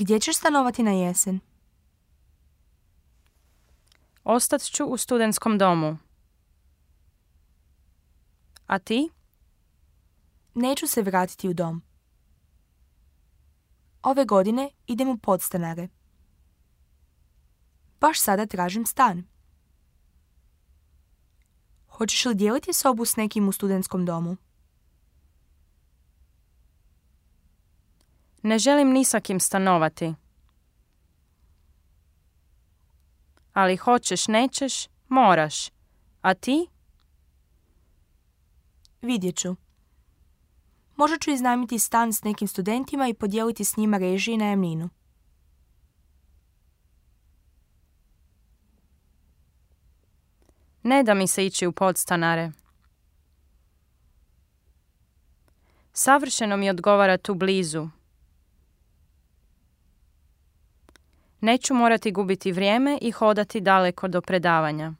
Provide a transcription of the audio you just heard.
Gdje ćeš stanovati na jesen? Ostat ću u studentskom domu. A ti? Neću se vratiti u dom. Ove godine idem u podstanare. Baš sada tražim stan. Hoćeš li dijeliti sobu s nekim u studentskom domu? Ne želim ni sa kim stanovati. Ali hoćeš, nećeš, moraš. A ti? Vidjet ću. Možda ću iznajmiti stan s nekim studentima i podijeliti s njima režije i najamninu. Ne da mi se ići u podstanare. Savršeno mi odgovara tu blizu. Neću morati gubiti vrijeme i hodati daleko do predavanja.